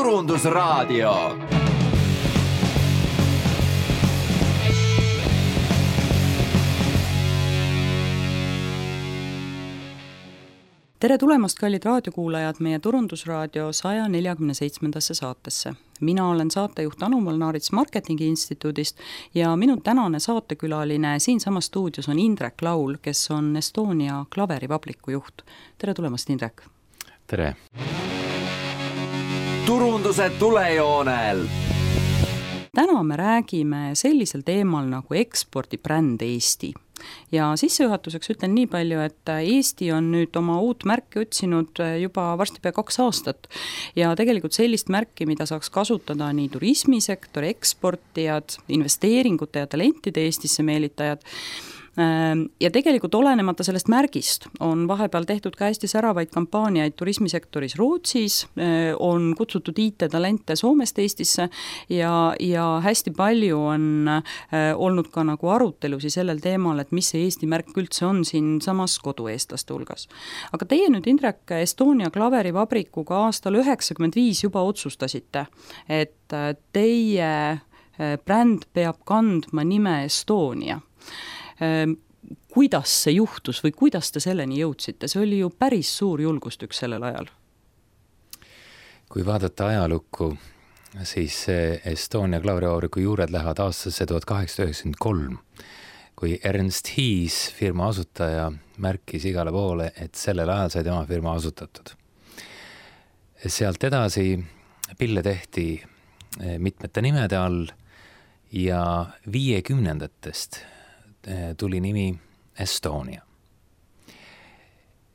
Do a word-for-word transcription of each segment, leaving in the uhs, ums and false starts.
Turundusraadio. Tere tulemast, kallid raadiokuulajad, meie Turundusraadio saja neljakümne seitsmendasse saatesse. Mina olen saatejuht Anu Molnaarits Marketingi Instituudist ja minu tänane saatekülaline siinsamas stuudios on Indrek Laul, kes on Estonia klaverivabriku juht. Tere tulemast, Indrek! Tere! Turunduse tulejoonel! Täna me räägime sellisel teemal nagu ekspordibränd Eesti. Ja sissejuhatuseks ütlen nii palju, et Eesti on nüüd oma uut märki otsinud juba varsti pea kaks aastat ja tegelikult sellist märki, mida saaks kasutada nii turismisektori, eksportijad, investeeringute ja talentide Eestisse meelitajad. Ja tegelikult olenemata sellest märgist on vahepeal tehtud ka hästi säravaid kampaaniaid turismisektoris Rootsis, on kutsutud I T-talente Soomest Eestisse ja, ja hästi palju on olnud ka nagu arutelusi sellel teemal, et mis see Eesti märk üldse on siin samas kodueestlaste hulgas. Aga teie nüüd, Indrek, Estonia klaverivabrikuga aastal üheksakümmend viis juba otsustasite, et teie bränd peab kandma nime Estonia. Kuidas see juhtus või kuidas te selleni jõudsite? See oli ju päris suur julgustük sellel ajal. Kui vaadata ajalukku, siis Estonia klaverivabriku juured lähevad aastasse tuhat kaheksasada üheksakümmend kolm, kui Ernst Hiis, firma asutaja, märkis igale poole, et sellel ajal sai tema firma asutatud. Sealt edasi pille tehti mitmete nimede all ja viiekümnendatest tuli nimi Estonia.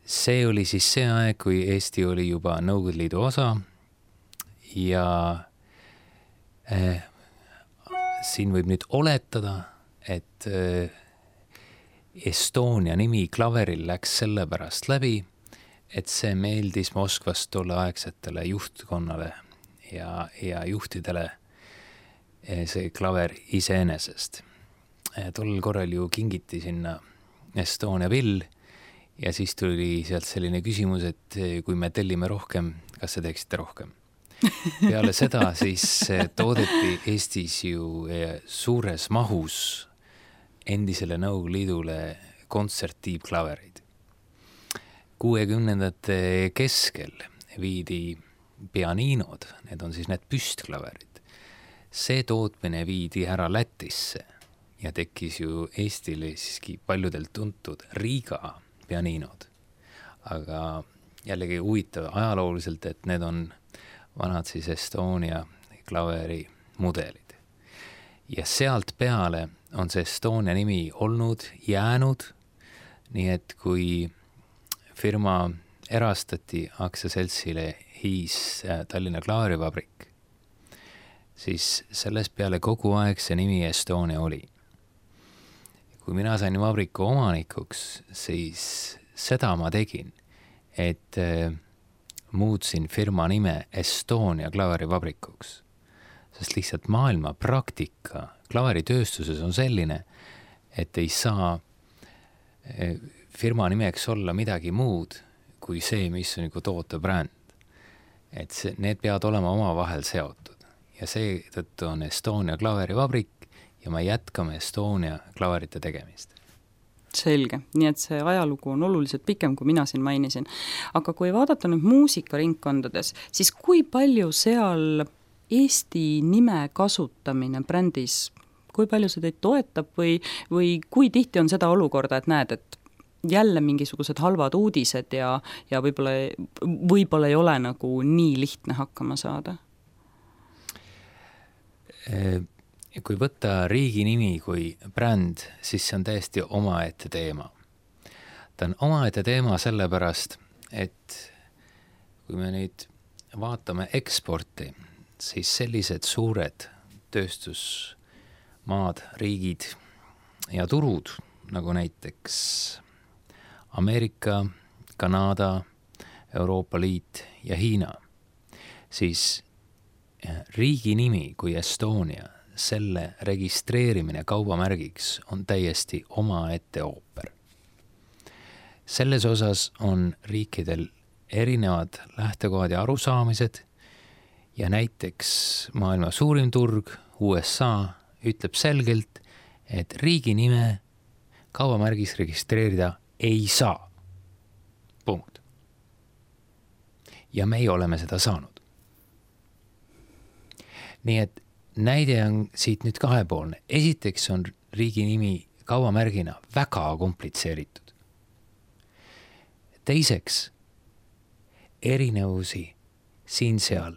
See oli siis see aeg, kui Eesti oli juba Nõukogude Liidu osa ja eh, siin võib nüüd oletada, et eh, Estonia nimi klaveril läks sellepärast läbi, et see meeldis Moskvast tolleaegsetele juhtkonnale ja, ja juhtidele eh, see klaver iseenesest. Tollel korral ju kingiti sinna Estonia pill ja siis tuli sealt selline küsimus, et kui me tellime rohkem, kas see teeksite rohkem? Peale seda siis toodeti Eestis ju suures mahus endisele Nõukogude Liidule kontserttiibklaverid. kuuekümnendate keskel viidi pianinod, need on siis need püstklaverid. See tootmine viidi ära Lätisse ja tekkis ju Eestile siiski paljudelt tuntud Riiga pianinod. Aga jällegi huvitav ajalooliselt, et need on vanad siis Estonia klaveri mudelid. Ja sealt peale on see Estonia nimi olnud, jäänud, nii et kui firma erastati aktsiaseltsile Hiis Tallinna klaverivabrik, siis selles peale kogu aeg see nimi Estonia oli. Kui mina sain vabriku omanikuks, siis seda ma tegin, et muutsin firma nime Estonia klaverivabrikuks. Sest lihtsalt maailma praktika klaveritööstuses on selline, et ei saa firma nimeks olla midagi muud kui see, mis on nagu tootebränd. Et see, need peavad olema oma vahel seotud. Ja see tõttu on Estonia klaverivabrik ja me jätkame Estonia klaverite tegemist. Selge, nii et see ajalugu on oluliselt pikem, kui mina siin mainisin. Aga kui vaadata nüüd muusikaringkondades, siis kui palju seal Eesti nime kasutamine brändis, kui palju see teid toetab või, või kui tihti on seda olukorda, et näed, et jälle mingisugused halvad uudised ja, ja võib-olla, võib-olla ei ole nagu nii lihtne hakkama saada? E- Kui võtta riigi nimi kui bränd, siis see on täiesti omaette teema. Ta on omaette teema sellepärast, et kui me nüüd vaatame eksporti, siis sellised suured tööstusmaad, riigid ja turud, nagu näiteks Ameerika, Kanada, Euroopa Liit ja Hiina, siis riigi nimi kui Estonia, selle registreerimine kaubamärgiks on täiesti omaette ooper. Selles osas on riikidel erinevad lähtekohad ja arusaamised ja näiteks maailma suurim turg U S A ütleb selgelt, et riigi nime kaubamärgis registreerida ei saa. Punkt. Ja meie oleme seda saanud. Nii et näide on siit nüüd kahepoolne. Esiteks on riigi nimi kaubamärgina väga komplitseeritud. Teiseks, erinevusi siin-seal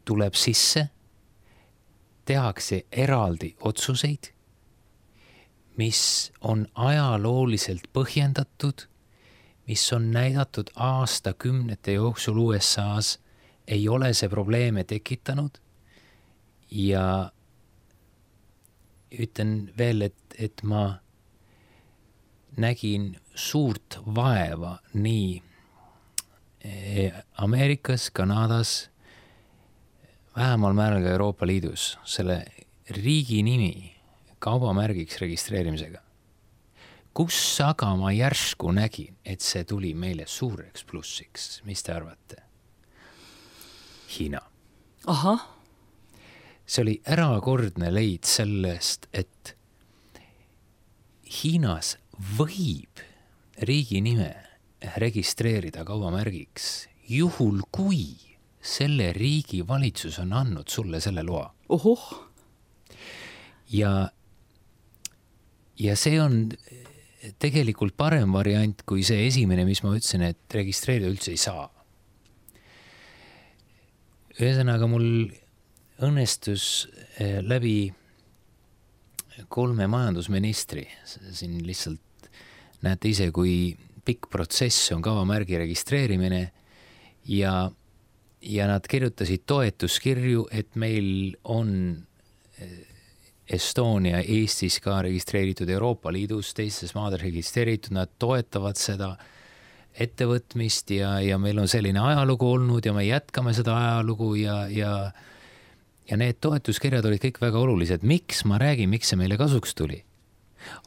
tuleb sisse, tehakse eraldi otsuseid, mis on ajalooliselt põhjendatud, mis on näidatud aastakümnete jooksul U S A-s, ei ole see probleeme tekitanud ja ütlen veel, et, et ma nägin suurt vaeva nii Ameerikas, Kanadas, vähemal määral ka Euroopa Liidus selle riigi nimi kaubamärgiks registreerimisega. Kus aga ma järsku nägin, et see tuli meile suureks plussiks? Mis te arvate? Hiina. Aha. See oli erakordne leid sellest, et Hiinas võib riigi nime registreerida kaubamärgiks juhul, kui selle riigi valitsus on andnud sulle selle loa. Ohoh. Ja, ja see on tegelikult parem variant kui see esimene, mis ma ütlesin, et registreerida üldse ei saa. Ühesõnaga mul õnnestus läbi kolme majandusministri, siin lihtsalt näete ise, kui pikk protsess on kaubamärgi registreerimine ja, ja nad kirjutasid toetuskirju, et meil on Estonia Eestis ka registreeritud Euroopa Liidus, teistes maades registreeritud, nad toetavad seda ettevõtmist ja, ja meil on selline ajalugu olnud ja me jätkame seda ajalugu ja, ja, ja need toetuskirjad olid kõik väga olulised. Miks ma räägin, miks see meile kasuks tuli?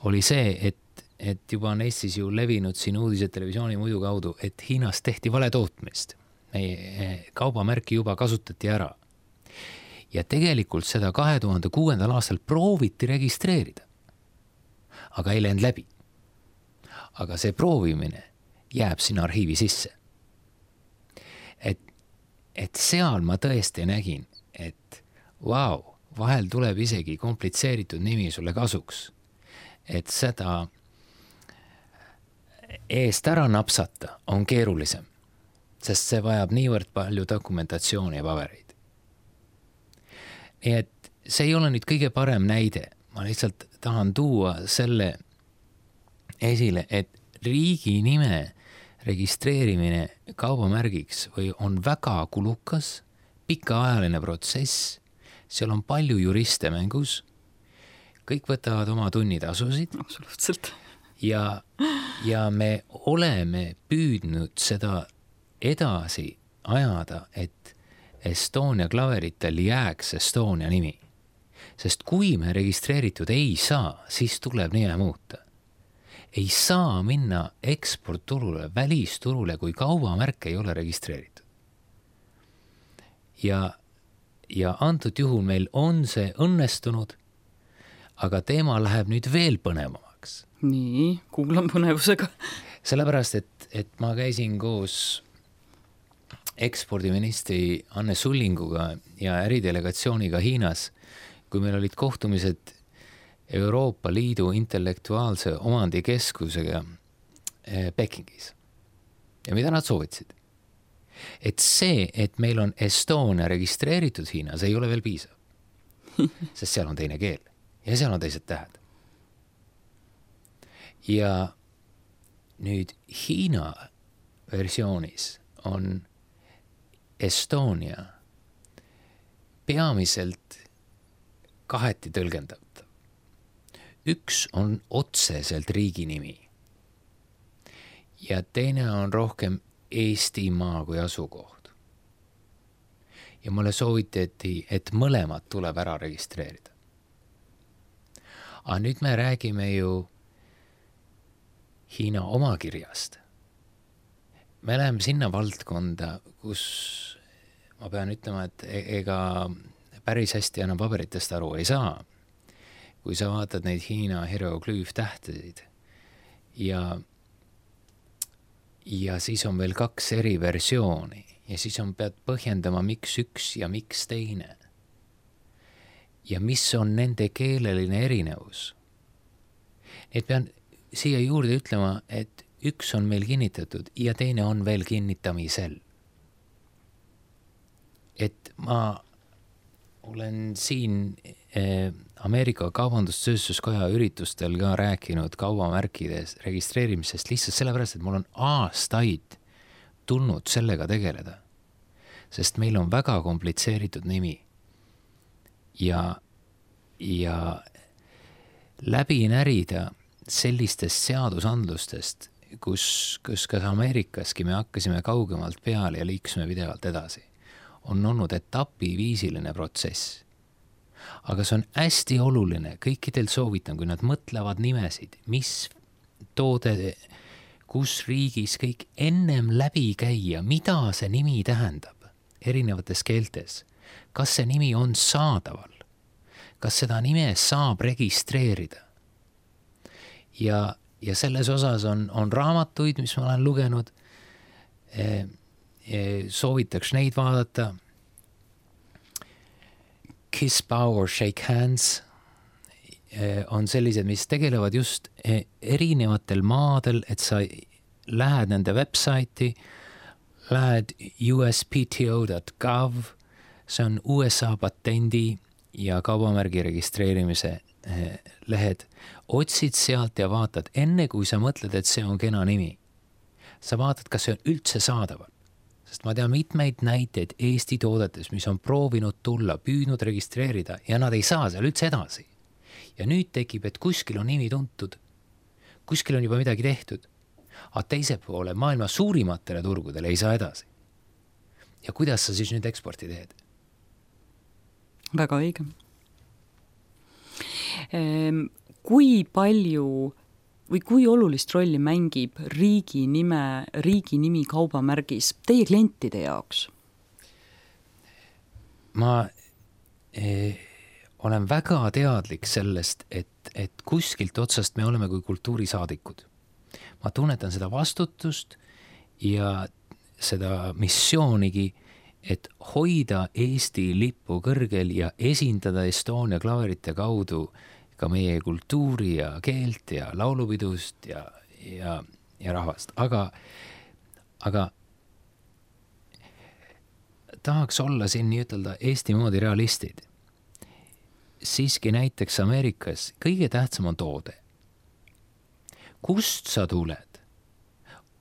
Oli see, et, et juba on Eestis ju levinud siin uudised televisiooni muidu kaudu, et Hiinas tehti vale tootmist. Meie kaubamärki juba kasutati ära. Ja tegelikult seda kahe tuhande kuuendal aastal prooviti registreerida. Aga ei läinud läbi. Aga see proovimine jääb sinna arhiivi sisse. Et, et seal ma tõesti nägin, et vau, wow, vahel tuleb isegi komplitseeritud nimi sulle kasuks. Et seda eest ära napsata on keerulisem, sest see vajab niivõrd palju dokumentatsiooni ja pabereid. Nii et see ei ole nüüd kõige parem näide. Ma lihtsalt tahan tuua selle esile, et riigi nime registreerimine kaubamärgiks või on väga kulukas, pikaajaline protsess, seal on palju juriste mängus, kõik võtavad oma tunnitasusid. Absoluutselt. Ja, ja me oleme püüdnud seda edasi ajada, et Estonia klaveritel jääks Estonia nimi. Sest kui me registreeritud ei saa, siis tuleb nime muuta. Ei saa minna eksportturule, välisturule, kui kaubamärk ei ole registreeritud. Ja, ja antud juhul meil on see õnnestunud, aga teema läheb nüüd veel põnevamaks. Nii, kuulan põnevusega. Sellepärast, et, et ma käisin koos ekspordiministri Anne Sullinguga ja äridelegatsiooniga Hiinas, kui meil olid kohtumised Euroopa Liidu intellektuaalse omandikeskusega Pekingis. Ja mida nad soovitasid? Et see, et meil on Estonia registreeritud Hiinas, ei ole veel piisav. Sest seal on teine keel ja seal on teised tähed. Ja nüüd Hiina versioonis on Estonia peamiselt kaheti tõlgendatav. Üks on otseselt riigi nimi ja teine on rohkem Eestimaa kui asukoht. Ja mulle soovitati, et mõlemad tuleb ära registreerida. Aga nüüd me räägime ju Hiina omakirjast. Me läheme sinna valdkonda, kus ma pean ütlema, et ega päris hästi enam paberitest aru ei saa. Kui sa vaatad neid Hiina hieroglüüftähtesid ja, ja siis on veel kaks eri versiooni ja siis on pead põhjendama, miks üks ja miks teine. Ja mis on nende keeleline erinevus. Et pean siia juurde ütlema, et üks on meil kinnitatud ja teine on veel kinnitamisel. Et ma olen siin eh, Ameerika Kaubandustööstuskoja üritustel ka rääkinud kaubamärkides registreerimisest lihtsalt sellepärast, et mul on aastaid tulnud sellega tegeleda. Sest meil on väga komplitseeritud nimi. Ja, ja läbi närida sellistest seadusandlustest, kus, kus ka Ameerikaski me hakkasime kaugemalt peale ja liiksime pidevalt edasi, on olnud etapiviisiline protsess. Aga see on hästi oluline, kõikidel soovitan, kui nad mõtlevad nimesid, mis toode, kus riigis kõik ennem läbi käia, mida see nimi tähendab erinevates keeltes. Kas see nimi on saadaval? Kas seda nime saab registreerida? Ja, ja selles osas on, on raamatuid, mis ma olen lugenud. E, e, soovitaks neid vaadata. Kiss, bow or shake hands e, on sellised, mis tegelevad just e, erinevatel maadel, et sa lähed nende websaiti, lähed U S P T O dot gov, see on U S A patendi ja kaubamärgi registreerimise lehed. Otsid sealt ja vaatad, enne kui sa mõtled, et see on kena nimi. Sa vaatad, kas see on üldse saadaval. Sest ma tean mitmeid näiteid Eesti toodetes, mis on proovinud tulla, püüdnud registreerida ja nad ei saa seal üldse edasi. Ja nüüd tekib, et kuskil on nimi tuntud, kuskil on juba midagi tehtud, aga teise poole maailma suurimatele turgudele ei saa edasi. Ja kuidas sa siis nüüd eksporti teed? Väga õige. Kui palju või kui olulist rolli mängib riigi nime, riigi nimi kaubamärgis teie klientide jaoks? Ma eh, olen väga teadlik sellest, et, et kuskilt otsast me oleme kui kultuurisaadikud. Ma tunnetan seda vastutust ja seda missioonigi, et hoida Eesti lippu kõrgel ja esindada Estonia klaverite kaudu ka meie kultuuri ja keelt ja laulupidust ja, ja, ja rahvast. Aga, aga tahaks olla siin nii ütelda Eesti moodi realistid. Siiski näiteks Ameerikas kõige tähtsam on toode. Kust sa tuled,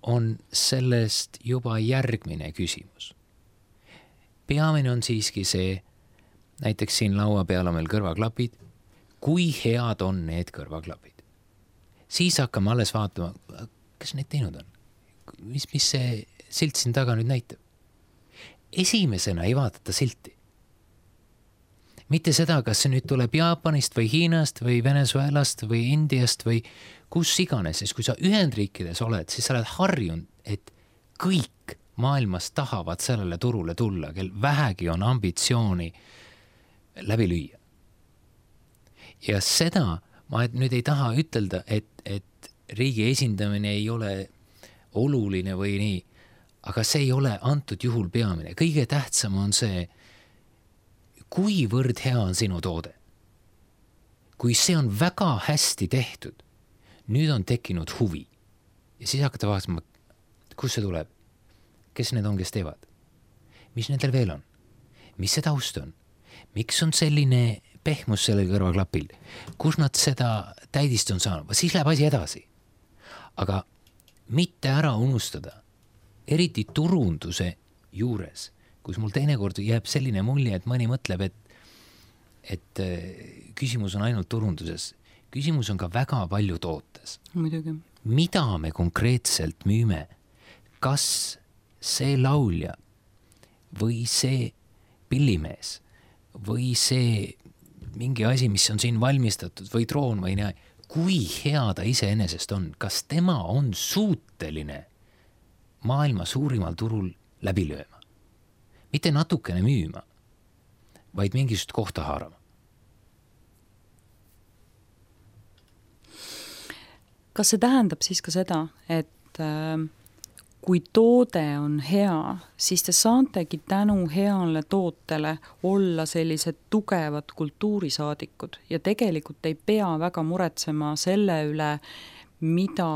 on sellest juba järgmine küsimus. Peamine on siiski see, näiteks siin laua peal on meil kõrvaklapid, kui head on need kõrvaklapid. Siis hakkame alles vaatama, kas need teinud on? Mis, mis see silt siin taga nüüd näitab? Esimesena ei vaadata silti. Mitte seda, kas see nüüd tuleb Jaapanist või Hiinast või Venezuelast või Indiast või kus iganes, siis kui sa Ühendriikides oled, siis sa oled harjunud, et kõik maailmas tahavad sellele turule tulla, kel vähegi on ambitsiooni läbi lüüa. Ja seda ma nüüd ei taha ütelda, et, et riigi esindamine ei ole oluline või nii, aga see ei ole antud juhul peamine. Kõige tähtsam on see, kuivõrd hea on sinu toode. Kui see on väga hästi tehtud, nüüd on tekkinud huvi. Ja siis hakata vaatama, kus see tuleb. Kes need on, kes teevad? Mis nendel veel on? Mis see taust on? Miks on selline pehmus selle kõrvaklapil? Kus nad seda täidist on saanud? Siis läheb asi edasi. Aga mitte ära unustada, eriti turunduse juures, kus mul teinekord jääb selline mulje, et mõni mõtleb, et, et küsimus on ainult turunduses. Küsimus on ka väga palju tootes. Muidugi. Mida me konkreetselt müüme? Kas see laulja või see pillimees või see mingi asi, mis on siin valmistatud või troon või näe, kui hea ta iseenesest on, kas tema on suuteline maailma suurimal turul läbi lööma? mitte natukene müüma, vaid mingisugust kohta haarama. Kas see tähendab siis ka seda, et äh, kui toode on hea, siis te saantegi tänu heale tootele olla sellised tugevad kultuurisaadikud ja tegelikult ei pea väga muretsema selle üle, mida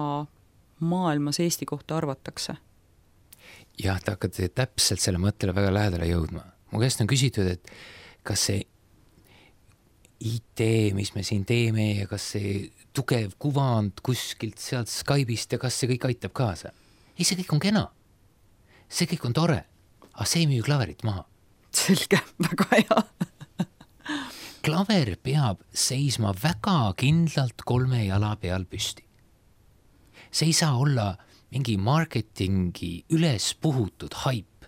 maailmas Eesti kohta arvatakse? Jah, te hakkate täpselt selle mõttele väga lähedale jõudma. Mu käest on küsitud, et kas see I T, mis me siin teeme ja kas see tugev kuvand kuskilt sealt Skype'ist ja kas see kõik aitab kaasa? Ei, see kõik on kena. See kõik on tore. Aga see ei müü klaverit maha. Selge, väga hea. Klaver peab seisma väga kindlalt kolme jala peal püsti. See ei saa olla mingi marketingi üles puhutud haip.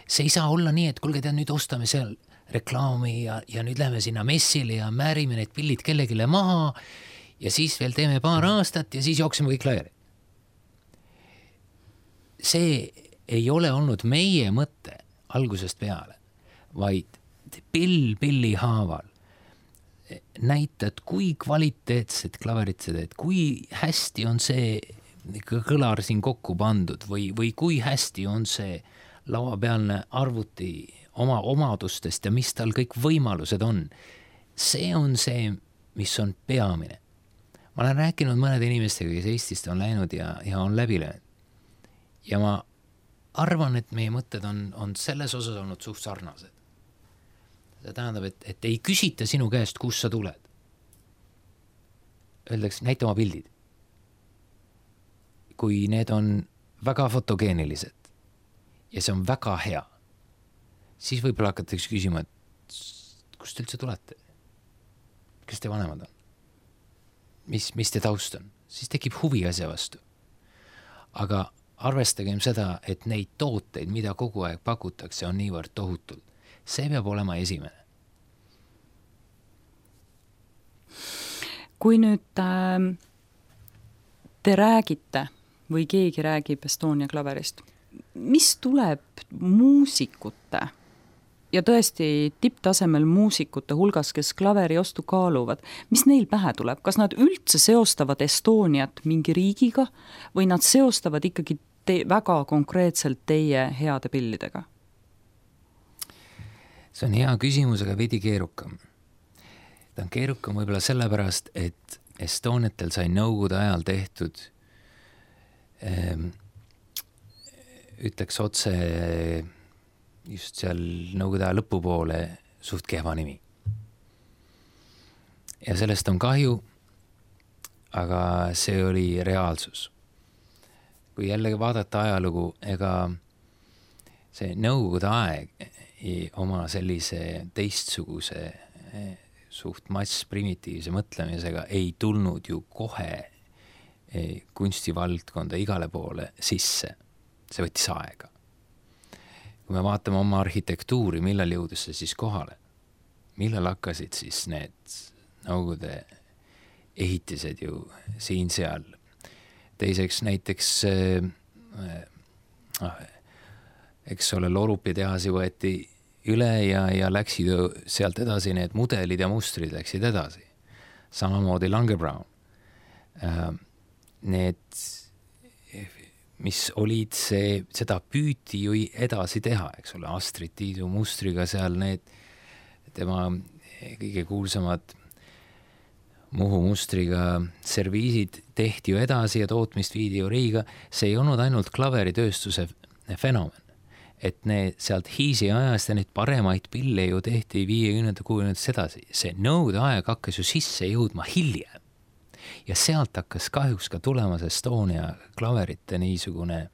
See ei saa olla nii, et kulge, tead, nüüd ostame seal reklaami ja, ja nüüd läheme sinna messile ja määrime need pillid kellegile maha ja siis veel teeme paar aastat ja siis jookseme kõik laiali. See ei ole olnud meie mõte algusest peale, vaid pill pilli haaval näitad, kui kvaliteetset klaverit see teed, kui hästi on see kõlar siin kokku pandud või, või kui hästi on see lauapealne arvuti oma omadustest ja mis tal kõik võimalused on. See on see, mis on peamine. Ma olen rääkinud mõnede inimestega, kes Eestist on läinud ja, ja on läbi löönud. Ja ma arvan, et meie mõtted on, on selles osas olnud suht sarnased. See tähendab, et, et ei küsita sinu käest, kus sa tuled. Öeldakse, näita oma pildid. Kui need on väga fotogeenilised ja see on väga hea, siis võib-olla hakatakse küsima, et kust te üldse tulete? Kes te vanemad on? Mis, mis te taust on? Siis tekib huvi asja vastu. Aga arvestagem seda, et neid tooteid, mida kogu aeg pakutakse, on niivõrd tohutult. See peab olema esimene. Kui nüüd äh, te räägite või keegi räägib Estonia klaverist, mis tuleb muusikute ja tõesti tipptasemel muusikute hulgas, kes klaveri ostu kaaluvad, mis neil pähe tuleb? Kas nad üldse seostavad Estoniat mingi riigiga või nad seostavad ikkagi te- väga konkreetselt teie heade pillidega? See on hea küsimus, aga veidi keerukam. Ta on keerukam võib-olla sellepärast, et Estoniatel sai nõukogude ajal tehtud ähm, ütleks otse just seal nõukogude aja lõpupoole suht kehva nimi. Ja sellest on kahju, aga see oli reaalsus. Kui jällegi vaadata ajalugu, ega see nõukogude aeg oma sellise teistsuguse suht mass primitiivse mõtlemisega ei tulnud ju kohe kunstivaldkonda igale poole sisse. See võttis aega. Kui me vaatame oma arhitektuuri, millal jõudus see siis kohale? Millal hakkasid siis need nõukogude ehitised ju siin-seal? Teiseks näiteks äh, eks ole, Lorupi tehasi võeti üle ja, ja läksid sealt edasi, need mudelid ja mustrid läksid edasi. Samamoodi Lange Brown. Äh, need mis olid see, seda püüti ju edasi teha, eks ole, Astrid Tiidu mustriga seal need tema kõige kuulsamad Muhu mustriga serviisid tehti ju edasi ja tootmist viidi ju Riiga. See ei olnud ainult klaveritööstuse fenomen, et need sealt Hiisi ajast ja neid paremaid pille ju tehti viiekümnenda kuuekümnendast edasi. See nõude aeg hakkas ju sisse jõudma hiljem. Ja sealt hakkas kahjuks ka tulemas Estonia klaverite niisugune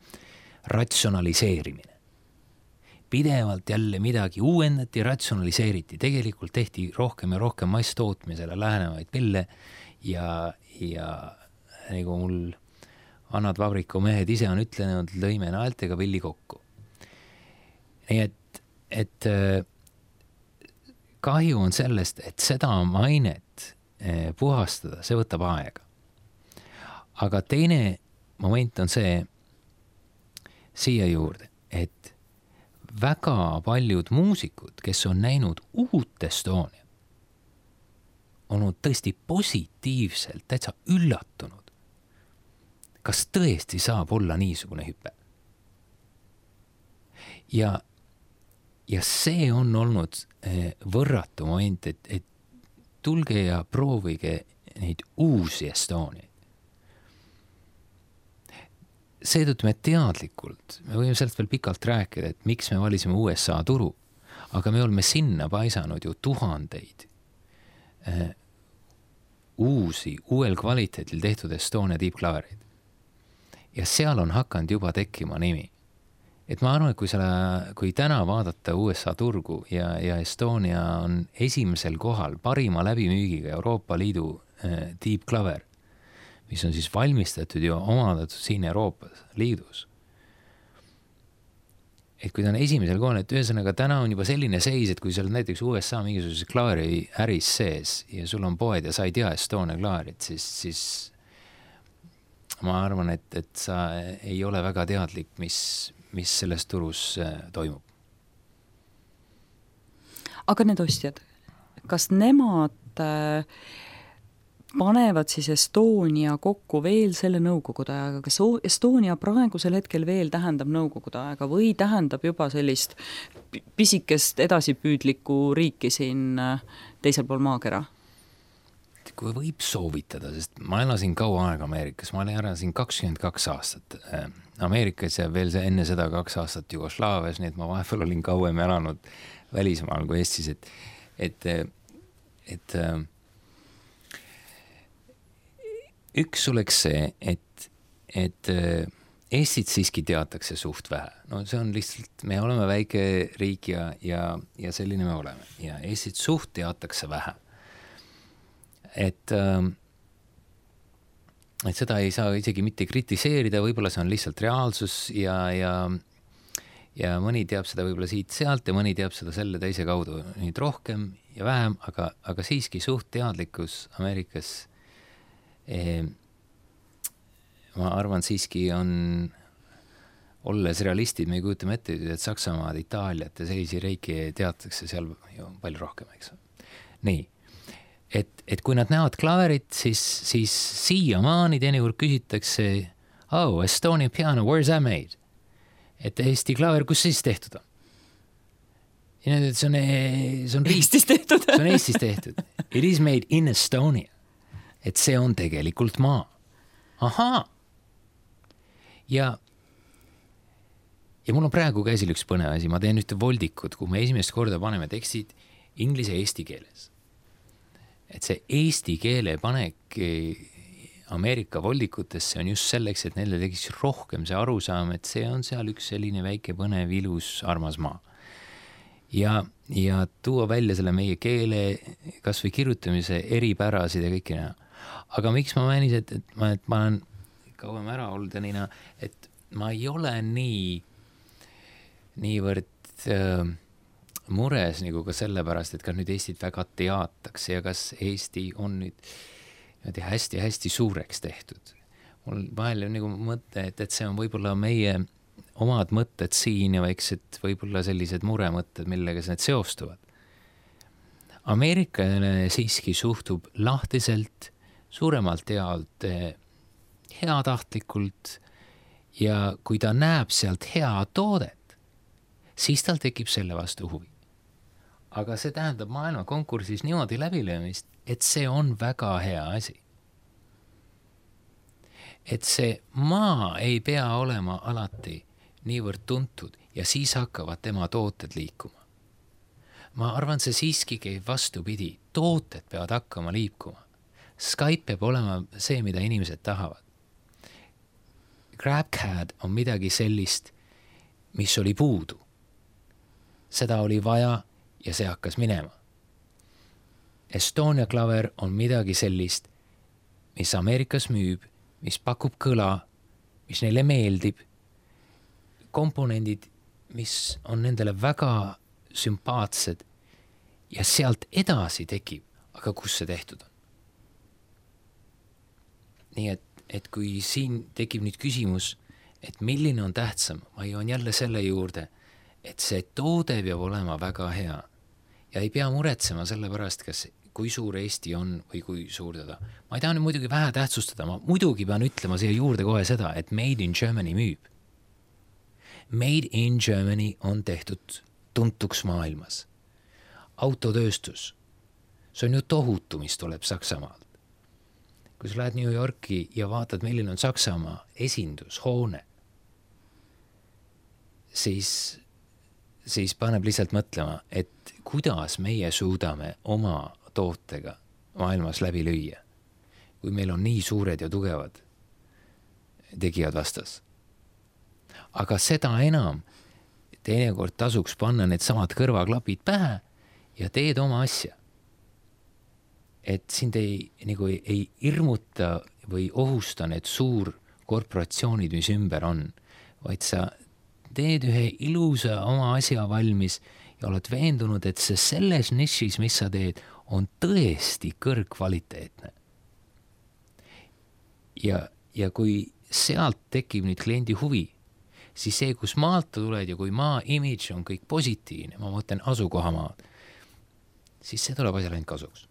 ratsionaliseerimine. Pidevalt jälle midagi uuendati, ratsionaliseeriti. Tegelikult tehti rohkem ja rohkem masstootmisele lähenevaid pille ja, ja nagu mul annad vabriku mehed ise on ütlenud, lõime naeltega pilli kokku. Nii et, et kahju on sellest, et seda mainet puhastada, see võtab aega. Aga teine moment on see siia juurde, et väga paljud muusikud, kes on näinud uut Estonia, olnud tõesti positiivselt täitsa üllatunud. Kas tõesti saab olla niisugune hüpe? Ja, ja see on olnud võrratu moment, et, et tulge ja proovige neid uusi Estoniaid. Seetõttu me teadlikult, me võime sellest veel pikalt rääkida, et miks me valisime U S A turu, aga me oleme sinna paisanud ju tuhandeid äh, uusi, uuel kvaliteedil tehtud Estonia tiibklavereid. Ja seal on hakanud juba tekkima nimi. Et ma arvan, et kui, selle, kui täna vaadata U S A turgu ja, ja Estonia on esimesel kohal parima läbimüügiga Euroopa Liidu äh, tiibklaver, mis on siis valmistatud ja omandatud siin Euroopas Liidus. Et kui ta on esimesel kohal, et ühesõnaga täna on juba selline seis, et kui sa oled näiteks U S A mingisuguse klaari äris sees ja sul on poed ja sa ei tea Estonia klaarit, siis, siis ma arvan, et, et sa ei ole väga teadlik, mis, mis selles turus toimub. Aga need ostjad, kas nemad äh, panevad siis Estonia kokku veel selle nõukogude ajaga, kas Estonia praegusel hetkel veel tähendab nõukogude ajaga või tähendab juba sellist pisikest edasipüüdlikku riiki siin teisel pool maakera? Kui võib soovitada, sest ma elasin kaua aega Ameerikas, ma elasin kakskümmend kaks aastat Ameerikas ja veel enne seda kaks aastat Jugoslaavias, nii et ma vahepeal olin kauem elanud välismaal kui Eestis, et, et, et üks oleks see, et, et Eestit siiski teatakse suht vähe. No see on lihtsalt, me oleme väike riik ja, ja, ja selline me oleme. Ja Eestit suht teatakse vähe. Et, et seda ei saa isegi mitte kritiseerida, võib-olla see on lihtsalt reaalsus ja, ja, ja mõni teab seda võib-olla siit sealt ja mõni teab seda selle teise kaudu nüüd rohkem ja vähem, aga, aga siiski suht teadlikkus Ameerikas Eh, ma arvan siiski on, olles realistid, me ei kujutame ette, et Saksamaad, Itaaliat ja sellisi reiki teatakse seal ju palju rohkem, eks. Nii, et, et kui nad näevad klaverit, siis, siis siiamaani teinekord küsitakse, oh, Estonia piano, where's that made? Et Eesti klaver, kus siis tehtud on? Ja need, see on, see on Eestis tehtud. See on Eestis tehtud. It is made in Estonia. Et see on tegelikult maa. Ahaa. Ja, ja mul on praegu käsil üks põnev asi. Ma teen ühte voldikut, kuhu me esimest korda paneme tekstid inglise ja eesti keeles. Et see eesti keele panek Ameerika voldikutesse on just selleks, et neile tekiks rohkem see arusaam, et see on seal üks selline väike põnev, ilus, armas maa. Ja, ja tuua välja selle meie keele kas või kirjutamise eripärasid ja kõiki näha. Aga miks ma määnis, et, et, ma, et ma olen kauem ära olnud ja niina, et ma ei ole nii niivõrd äh, mures nagu ka sellepärast, et kas nüüd Eestit väga teatakse ja kas Eesti on nüüd hästi-hästi suureks tehtud. Mul vahel on nagu mõte, et, et see on võib-olla meie omad mõtted siin ja väiksed võib-olla sellised muremõtted, millega need seostuvad. Ameerikale siiski suhtub lahtiselt, suuremalt jaolt heatahtlikult ja kui ta näeb sealt hea toodet, siis tal tekib selle vastu huvi. Aga see tähendab maailma konkursis niimoodi läbilöömist, et see on väga hea asi. Et see maa ei pea olema alati niivõrd tuntud ja siis hakkavad tema tooted liikuma. Ma arvan, see siiski käib vastupidi. Tooted peavad hakkama liikuma. Skype peab olema see, mida inimesed tahavad. GrabCAD on midagi sellist, mis oli puudu. Seda oli vaja ja see hakkas minema. Estonia klaver on midagi sellist, mis Ameerikas müüb, mis pakub kõla, mis neile meeldib, komponendid, mis on nendele väga sümpaatsed ja sealt edasi tekib, aga kus see tehtud on? Nii et, et kui siin tekib nüüd küsimus, et milline on tähtsam, ma joon jälle selle juurde, et see toode peab olema väga hea ja ei pea muretsema selle pärast, kas, kui suur Eesti on või kui suur teda. Ma ei taha nüüd muidugi vähe tähtsustada, ma muidugi pean ütlema siia juurde kohe seda, et Made in Germany müüb. Made in Germany on tehtud tuntuks maailmas. Autotööstus, see on ju tohutu, mis tuleb Saksamaalt. Kui sa lähed New Yorki ja vaatad, milline on Saksamaa esindushoone, siis, siis paneb lihtsalt mõtlema, et kuidas meie suudame oma tootega maailmas läbi lüüa, kui meil on nii suured ja tugevad tegijad vastas. Aga seda enam teinekord tasuks panna need samad kõrvaklapid pähe ja teed oma asja. Et sind ei, nagu ei, ei irmuta või ohusta need suur korporatsioonid, mis ümber on, vaid sa teed ühe ilusa oma asja valmis ja oled veendunud, et see selles nišis, mis sa teed, on tõesti kõrgkvaliteetne. Ja, ja kui sealt tekib nüüd kliendi huvi, siis see, kus maalt tuled ja kui maa image on kõik positiivne, ma mõtlen asukohamaad, siis see tuleb asjale ainult kasuks.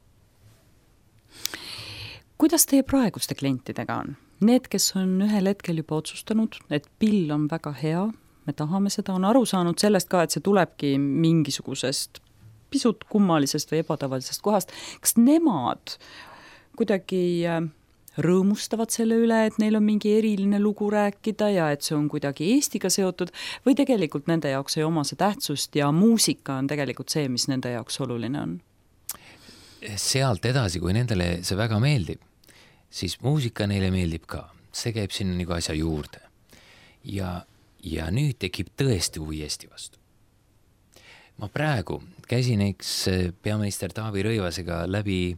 Kuidas teie praeguste klientidega on? Need, kes on ühel hetkel juba otsustanud, et pill on väga hea, me tahame seda, on aru saanud sellest ka, et see tulebki mingisugusest pisut kummalisest või ebatavalisest kohast. Kas nemad kuidagi rõõmustavad selle üle, et neil on mingi eriline lugu rääkida ja et see on kuidagi Eestiga seotud või tegelikult nende jaoks ei oma see tähtsust ja muusika on tegelikult see, mis nende jaoks oluline on? Sealt edasi, kui nendele see väga meeldib, siis muusika neile meeldib ka. See käib sinna nagu asja juurde. Ja, ja nüüd tekib tõesti huvi Eesti vastu. Ma praegu käisin eks peaminister Taavi Rõivasega läbi,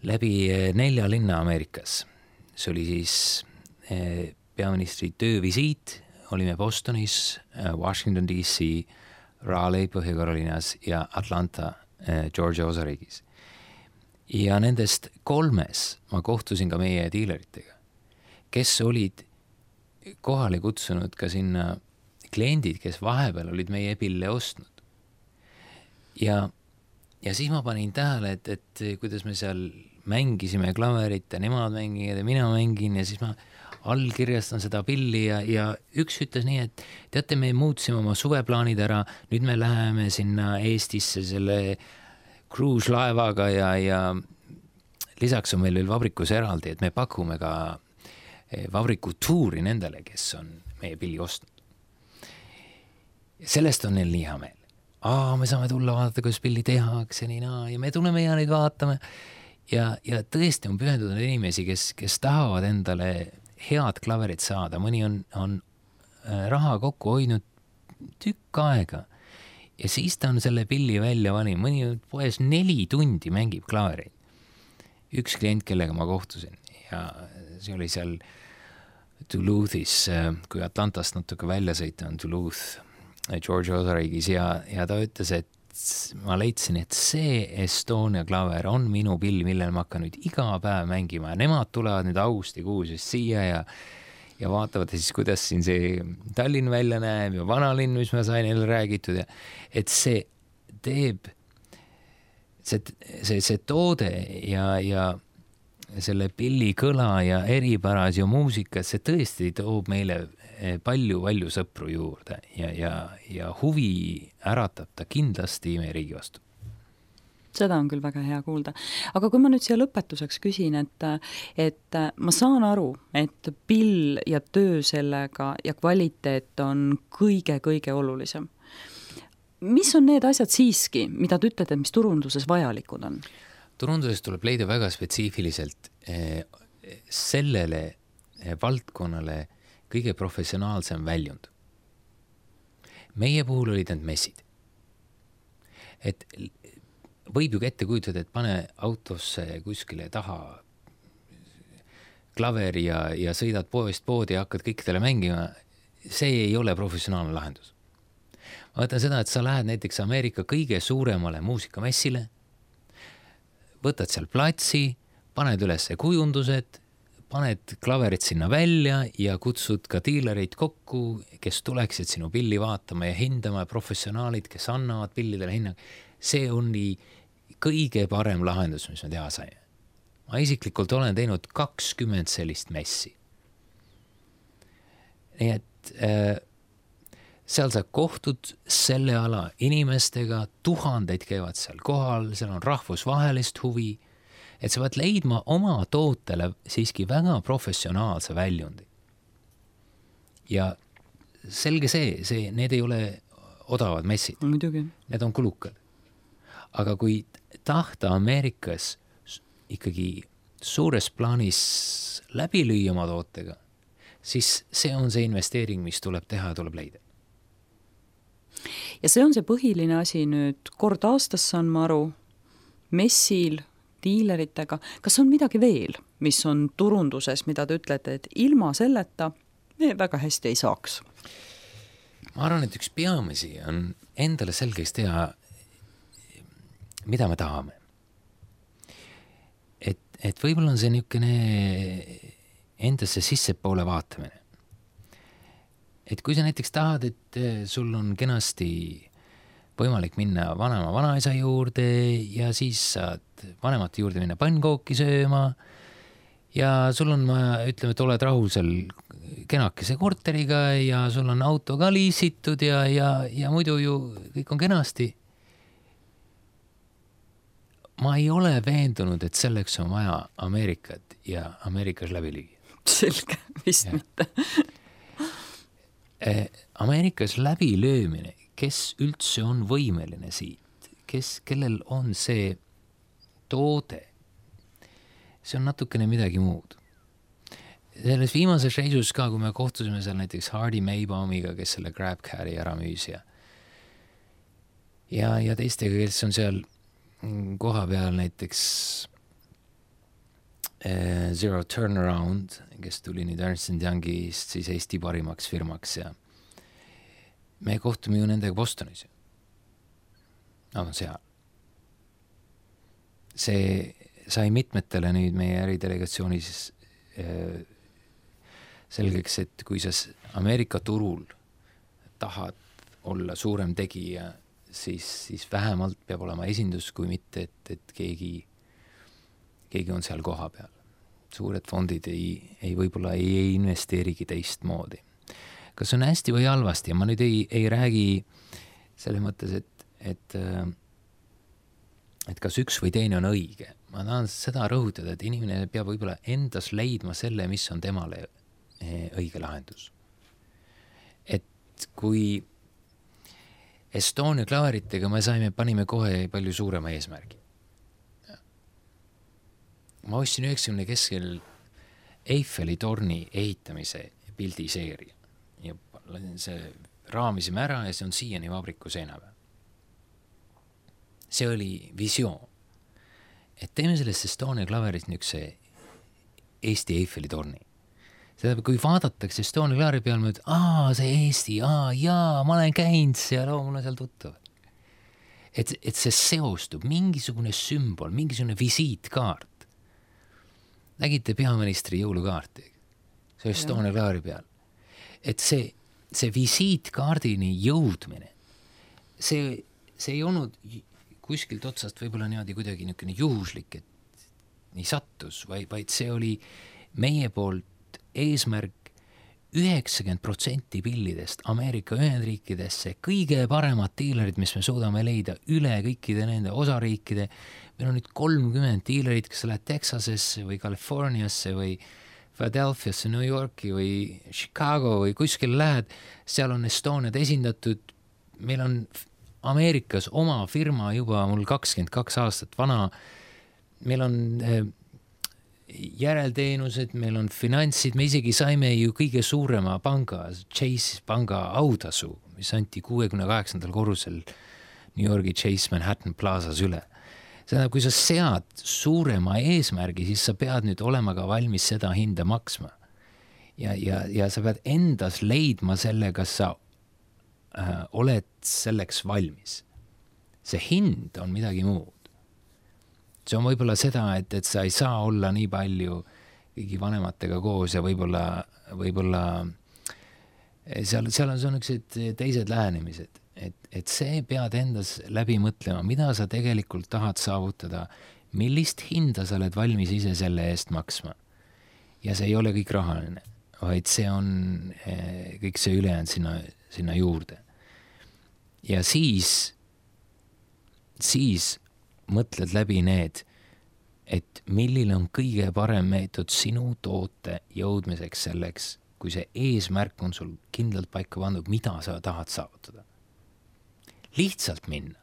läbi nelja linna Ameerikas. See oli siis peaministri töövisiit. Olime Bostonis, Washington D C, Raleigh Põhja-Carolinas ja Atlanta Georgia osariigis. Ja nendest kolmes ma kohtusin ka meie diileritega, kes olid kohale kutsunud ka sinna kliendid, kes vahepeal olid meie pille ostnud. Ja, ja siis ma panin tähele, et, et kuidas me seal mängisime klaverit ja nemad mängivad ja mina mängin ja siis ma allkirjastan seda pilli ja, ja üks ütles nii, et teate, me muutsime oma suveplaanid ära, nüüd me läheme sinna Eestisse selle cruise-laevaga ja, ja lisaks on meil veel vabrikus eraldi, et me pakume ka vabriku tuuri nendele, kes on meie pilli ostnud. Sellest on neil nii hea meel. Aa, me saame tulla vaadata, kuidas pilli tehakse, nii naa, ja me tuleme ja neid vaatame. Ja, ja tõesti on pühendunud inimesi, kes, kes tahavad endale head klaverit saada. Mõni on, on raha kokku hoidnud tükk aega ja siis ta on selle pilli välja valinud. Mõni on poes neli tundi mängib klaverit. Üks klient, kellega ma kohtusin ja see oli seal Duluthis, kui Atlantast natuke välja sõita on Duluth, Georgia osariigis ja, ja ta ütles, et ma leidsin, et see Estonia klaver on minu pill, millel ma hakkan nüüd iga päev mängima ja nemad tulevad nüüd augustikuus siia ja, ja vaatavad siis, kuidas siin see Tallinn välja näeb ja vanalinn, mis ma sain neile räägitud ja et see teeb see, see, see toode ja, ja selle pilli kõla ja eripäras ja muusika, see tõesti toob meile palju, palju sõpru juurde ja, ja, ja huvi äratab ta kindlasti meie riigi vastu. Seda on küll väga hea kuulda. Aga kui ma nüüd siia lõpetuseks küsin, et, et ma saan aru, et pill ja töö sellega ja kvaliteet on kõige-kõige olulisem. Mis on need asjad siiski, mida te ütlete, mis turunduses vajalikud on? Turunduses tuleb leida väga spetsiifiliselt sellele valdkonnale kõige professionaalsem väljund. Meie puhul olid need messid. Et võib ju ette kujutada, et pane autosse kuskile taha klaveri ja, ja sõidad poest poodi ja hakkad kõikidele mängima. See ei ole professionaalne lahendus. Ma võtan seda, et sa lähed näiteks Ameerika kõige suuremale muusikamessile, võtad seal platsi, paned üles kujundused, paned klaverid sinna välja ja kutsud ka diilereid kokku, kes tuleksid sinu pilli vaatama ja hindama, professionaalid, kes annavad pillidele hinnang. See on nii kõige parem lahendus, mis me teha saime. Ma isiklikult olen teinud kakskümmend sellist messi. Nii et äh, seal sa kohtud selle ala inimestega, tuhandeid käivad seal kohal, seal on rahvusvahelist huvi, et sa pead leidma oma tootele siiski väga professionaalse väljundi. Ja selge see, see, need ei ole odavad messid. Muidugi. Need on kulukad. Aga kui tahta Ameerikas ikkagi suures plaanis läbi lüüa oma tootega, siis see on see investeering, mis tuleb teha ja tuleb leida. Ja see on see põhiline asi nüüd, kord aastas saan ma aru, messil, diileritega, kas on midagi veel, mis on turunduses, mida te ütlete, et ilma selleta me väga hästi ei saaks? Ma arvan, et üks peamisi on endale selgeks teha, mida me tahame. Et, et võib-olla on see niisugune endasse sissepoole vaatamine. Et kui sa näiteks tahad, et sul on kenasti võimalik minna vanema vanaisa juurde ja siis saad vanemate juurde minna pannkooki sööma ja sul on, ma ütleme, et oled rahul seal kenakese korteriga ja sul on auto ka liisitud ja, ja, ja muidu ju kõik on kenasti. Ma ei ole veendunud, et selleks on vaja Ameerikat ja Ameerikas läbi lüüa. Selge, vist ja. Mitte. Ameerikas läbi löömine, kes üldse on võimeline siit, kes, kellel on see toode, see on natukene midagi muud. Selles viimases reisus ka, kui me kohtusime seal näiteks Hardy Maybaumiga, kes selle GrabCari ära müüs ja, ja, ja teistega, kes on seal koha peal näiteks äh, Zero Turnaround, kes tuli nüüd Ernst and Youngist siis Eesti parimaks firmaks ja me kohtume ju nendega Bostonis. Nad on seal. See sai mitmetele nüüd meie äridelegatsioonis äh, selgeks, et kui sa Ameerika turul tahad olla suurem tegija, siis, siis vähemalt peab olema esindus, kui mitte, et, et keegi, keegi on seal koha peal. Suured fondid ei, ei võib-olla ei, ei investeerigi teist moodi. Kas on hästi või halvasti? Ma nüüd ei, ei räägi selles mõttes, et, et, et kas üks või teine on õige. Ma tahan seda rõhutada, et inimene peab võib-olla endas leidma selle, mis on temale õige lahendus. Et kui Estonia klaveritega me saime, panime kohe palju suurema eesmärgi. Ma ostsin üheksakümne keskel Eiffeli torni ehitamise pildiseeria. Ja see raamisime ära ja see on siiani vabriku seina peal. See oli visioon. Et teeme sellest Estonia klaverist niisuguse Eesti Eiffeli torni. Seda, kui vaadatakse Estonia klaari peal, mõtled, aa, see Eesti, aa, jaa, ma olen käinud seal, oo, mul on seal tuttav. Et, et see seostub, mingisugune sümbol, mingisugune visiitkaart. Nägite peaministri jõulukaarti, see Estonia klaari peal. Et see, see visiitkaardini jõudmine, see, see ei olnud kuskilt otsast võib-olla niimoodi kuidagi niisugune juhuslik, et nii sattus, vaid, vaid see oli meie poolt eesmärk üheksakümmend protsenti pillidest Ameerika Ühendriikidesse, kõige paremad diilerid, mis me suudame leida üle kõikide nende osariikide. Meil on nüüd kolmkümmend diilerid, kes lähed Texasesse või Californiasse või Philadelphiasse, New Yorki või Chicago või kuskil lähed, seal on Estoniad esindatud. Meil on Ameerikas oma firma juba mul kakskümmend kaks aastat vana. Meil on järelteenused, meil on finantsid, me isegi saime ju kõige suurema panga, Chase panga autasu, mis anti kuuekümne kaheksandal korrusel New Yorgi Chase Manhattan Plazas üle. Seda, kui sa sead suurema eesmärgi, siis sa pead nüüd olema ka valmis seda hinda maksma. Ja, ja, ja sa pead endas leidma selle, kas sa äh, oled selleks valmis. See hind on midagi muud. See on võib-olla seda, et, et sa ei saa olla nii palju kõigi vanematega koos ja võib-olla, võib-olla seal, seal on, on üksed teised lähenemised, et, et see pead endas läbi mõtlema, mida sa tegelikult tahad saavutada, millist hinda sa oled valmis ise selle eest maksma. Ja see ei ole kõik rahaline, vaid see on kõik see ülejäänud sinna, sinna juurde. Ja siis, siis mõtled läbi need, et milline on kõige parem meetod sinu toote jõudmiseks selleks, kui see eesmärk on sul kindlalt paika pandud, mida sa tahad saavutada. Lihtsalt minna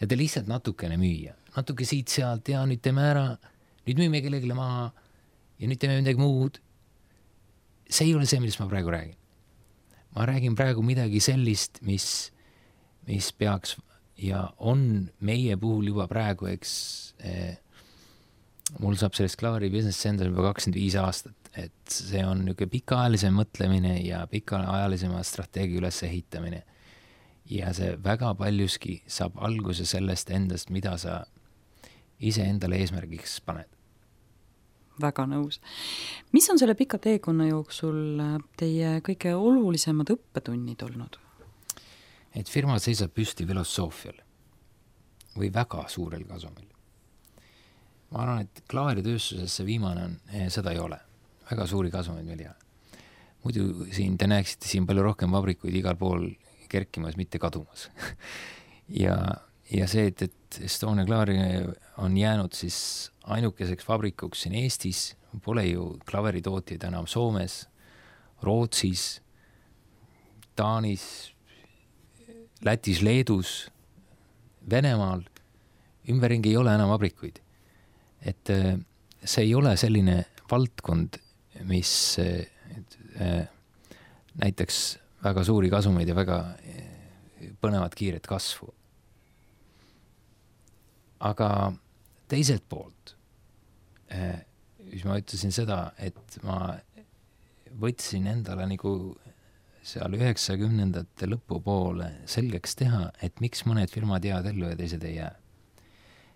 ja te lihtsalt natukene müüa, natuke siit sealt ja nüüd teeme ära, nüüd müüme kellegile maha ja nüüd teeme midagi muud. See ei ole see, millest ma praegu räägin. Ma räägin praegu midagi sellist, mis, mis peaks ja on meie puhul juba praegu, eks eh, mul saab sellest Klavari Business Center juba kakskümmend viis aastat, et see on niisugune pikaajalisem mõtlemine ja pikaajalisema strateegia üles ehitamine. Ja see väga paljuski saab alguse sellest endast, mida sa ise endale eesmärgiks paned. Väga nõus. Mis on selle pika teekonna jooksul teie kõige olulisemad õppetunnid olnud? Et firma seisab püsti filosoofial või väga suurel kasumil. Ma arvan, et Klavari tööstuses see viimane on, seda ei ole. Väga suuri kasumeid meil ei ole. Muidu siin te näeksite siin palju rohkem vabrikuid igal pool kerkimas, mitte kadumas. ja, ja see, et, et Estonia Klavari on jäänud siis ainukeseks vabrikuks siin Eestis, pole ju Klaveri tootjaid enam Soomes, Rootsis, Taanis, Lätis, Leedus, Venemaal, ümberringi ei ole enam vabrikuid. Et see ei ole selline valdkond, mis et, näiteks väga suuri kasumeid ja väga põnevad kiiret kasvu. Aga teiselt poolt, mis ma ütlesin seda, et ma võtsin endale nagu seal üheksakümnendate lõpu poole selgeks teha, et miks mõned firmad jäävad ellu ja teised ei jää.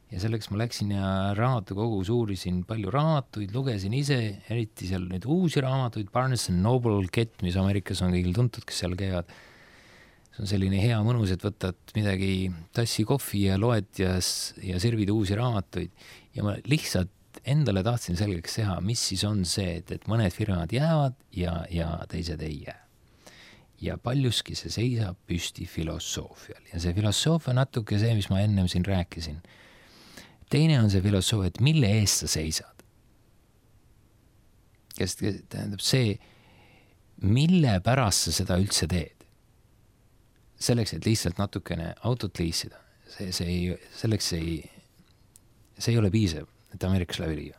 Ja selleks ma läksin ja raamatukogus uurisin palju raamatuid, lugesin ise, eriti seal nüüd uusi raamatuid, Barnes and Noble Kett, mis Ameerikas on kõigil tuntud, kes seal käivad. See on selline hea mõnus, et võtad midagi tassi kohvi ja loed ja, ja sirvid uusi raamatuid. Ja ma lihtsalt endale tahtsin selgeks teha, mis siis on see, et, et mõned firmad jäävad ja, ja teised ei jää. Ja paljuski see seisab püsti filosoofial. Ja see filosoofia natuke see, mis ma ennem siin rääkisin. Teine on see filosoofia, et mille eest sa seisad. Kes tähendab see, mille pärast sa seda üldse teed. Selleks, et lihtsalt natukene autot liisida. See, see ei, selleks ei, see ei ole piisav, et Ameerikas läbi liia.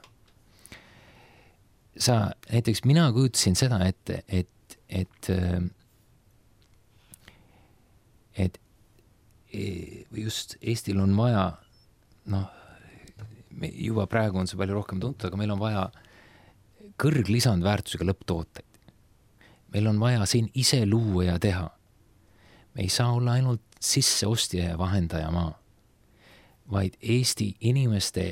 Sa, näiteks mina kujutasin seda ette, et, et, et, et just Eestil on vaja, noh, juba praegu on see palju rohkem tuntud, aga meil on vaja kõrglisandväärtusega lõpptooteid. Meil on vaja siin ise luua ja teha. Me ei saa olla ainult sisseostja ja vahendaja maa, vaid Eesti inimeste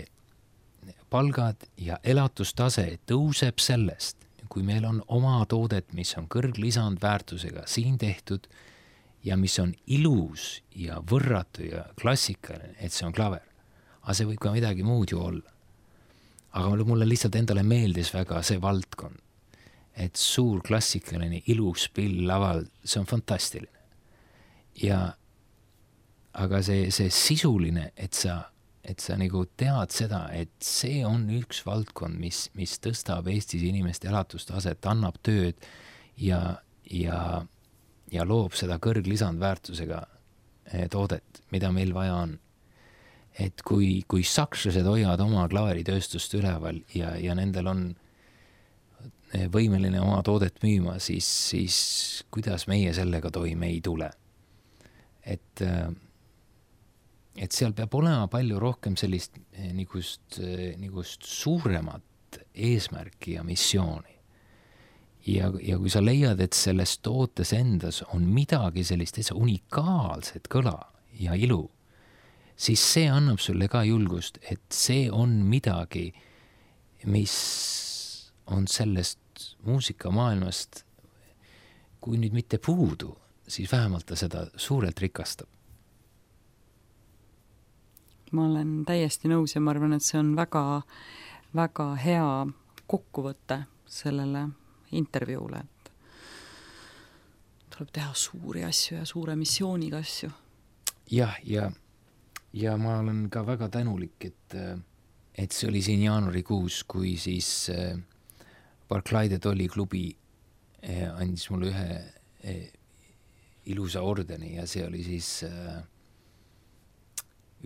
palgad ja elatustase tõuseb sellest, kui meil on oma toodet, mis on kõrglisandväärtusega siin tehtud ja mis on ilus ja võrratu ja klassikaline, et see on Klaver. Aga see võib ka midagi muud ju olla. Aga mulle lihtsalt endale meeldis väga see valdkond, et suur klassikaline ilus pill laval, see on fantastiline. Ja, aga see, see sisuline, et sa, et sa nagu tead seda, et see on üks valdkond, mis, mis tõstab Eestis inimeste elatustaset, annab tööd ja, ja, ja loob seda kõrglisandväärtusega toodet, mida meil vaja on. Et kui, kui sakslased hoiavad oma klaaritööstust üleval ja, ja nendel on võimeline oma toodet müüma, siis, siis kuidas meie sellega toime ei tule. Et, et seal peab olema palju rohkem sellist nigust, nigust suuremat eesmärki ja missiooni. Ja, ja kui sa leiad, et selles tootes endas on midagi sellist unikaalset kõla ja ilu, siis see annab sulle ka julgust, et see on midagi, mis on sellest muusikamaailmast, kui nüüd mitte puudu, siis vähemalt ta seda suurelt rikastab. Ma olen täiesti nõus ja ma arvan, et see on väga, väga hea kokkuvõte sellele intervjuule, et tuleb teha suuri asju ja suure missiooniga asju. Jah, ja, ja ma olen ka väga tänulik, et, et see oli siin jaanuarikuus, kui siis Barclay de Tolly klubi andis mulle ühe ilusa ordeni ja see oli siis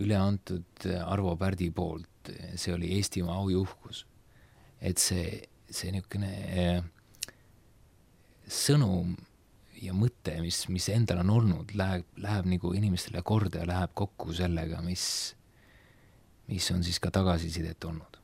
üle antud Arvo Pärdi poolt, see oli Eestimaa aujuhkus. Et see, see niisugune sõnum ja mõte, mis, mis endal on olnud, läheb, läheb nagu inimestele korda ja läheb kokku sellega, mis, mis on siis ka tagasisidet olnud.